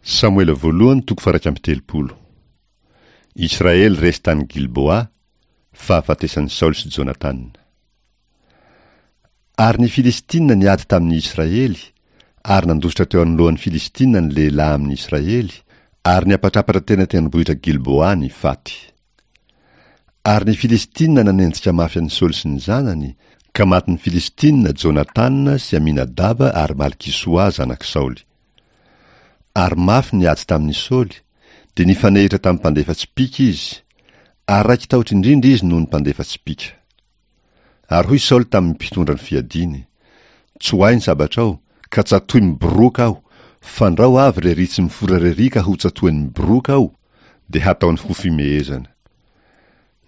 Samoela voalohany toko faha-31. Israely resy tany Gilboa, fahafatesan'i Saoly sy Jonatana. Ary ny Filistina niady tamin'ny Israely, ary nandositra teo anoloan'ny Filistina ny lehilahy amin'ny Israely, ary niapatrapatra teny an-tendrombohitra Gilboa ny faty. Ary ny Filistina nanenjika mafy an'i Saoly sy ny zanany, ka matin'ny Filistina Jonatana sy Aminadaba ary Malkisoa zanak'i Saoly. Ary mafy ny ady tamin'i Saoly, dia nifanehitra tamin'ny mpandefa tsipìka izy, ary raiki-tahotra indrindra izy noho ny mpandefa tsipìka. Ary hoy Saoly tamin'ny mpitondra ny fiadiany, Tsoahy ny sabatrao, ka tsatohy miboroaka aho, fandrao avy rery tsy mifora rery ka hotsatohany miboroaka aho, dia hataony ho fimehezana.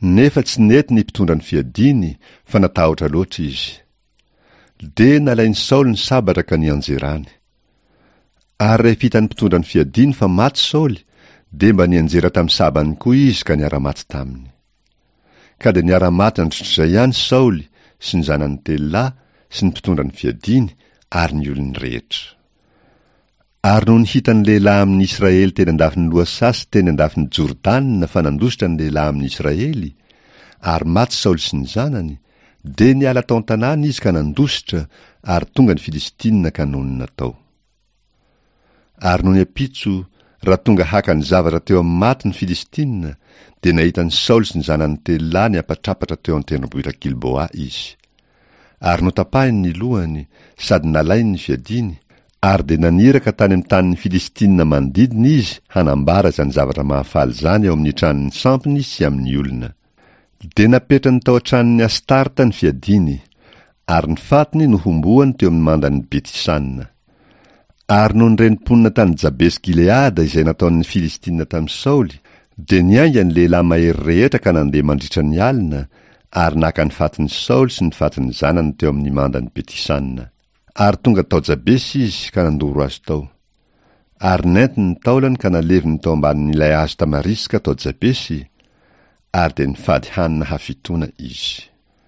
Nefa tsy nety ny mpitondra ny fiadiany, fa natahotra loatra izy. Dia nalain'i Saoly ny sabatra ka nianjerany. Ary rehefa hitan'ny mpitondra ny fiadiany fa maty Saoly, dia mba nianjera tamin'ny sabany koa izy ka niara-maty taminy. Ka dia niara-maty androtr'izay ihany Saoly sy ny zanany telo lahy sy ny mpitondra ny fiadiany ary ny olony rehetra. Ary nony hitan'ny lehilahy amin'ny Israely teny an-dafin'ny lohasaha sy teny an-dafin'i Jordana fa nandositra ny lehilahy amin'ny Israely, ary maty Saoly sy ny zanany, dia niala tao an-tanàna izy ka nandositra, ary tonga ny Filistina ka nonina tao. Ary nony ampitso, raha tonga haka ny zavatra teo amin'ny maty ny Filistina, dia nahita an'i Saoly sy ny zanany telo lahy niapatrapatra teo an-tendrombohitra Gilboa izy. Ary notapahiny ny lohany, sady nalainy ny fiadiany, ary dia naniraka tany amin'ny tanin'ny Filistina manodidina izy hanambara izany zavatra mahafaly izany ao amin'ny tranon'ny sampiny sy amin'ny olona. Dia napetrany tao an-tranon'i Astarta ny fiadiany, ary ny fatiny nohomboany teo amin'ny mandan'i Beti-sana. Ary nony ren'ny mponina tany Jabesy-Gileada izay nataon'ny Filistina tamin'i Saoly, dia niainga ny lehilahy mahery rehetra ka nandeha mandritra ny alina, ary naka ny fatin'i Saoly sy ny fatin'ny zanany teo amin'ny mandan'i Beti-sana. Ary tonga tao Jabesy izy ka nandoro azy tao. Ary nentiny ny taolany ka naleviny tao ambanin'ilay hazo tamariska tao Jabesy, ary dia nifady hanina hafitoana izy.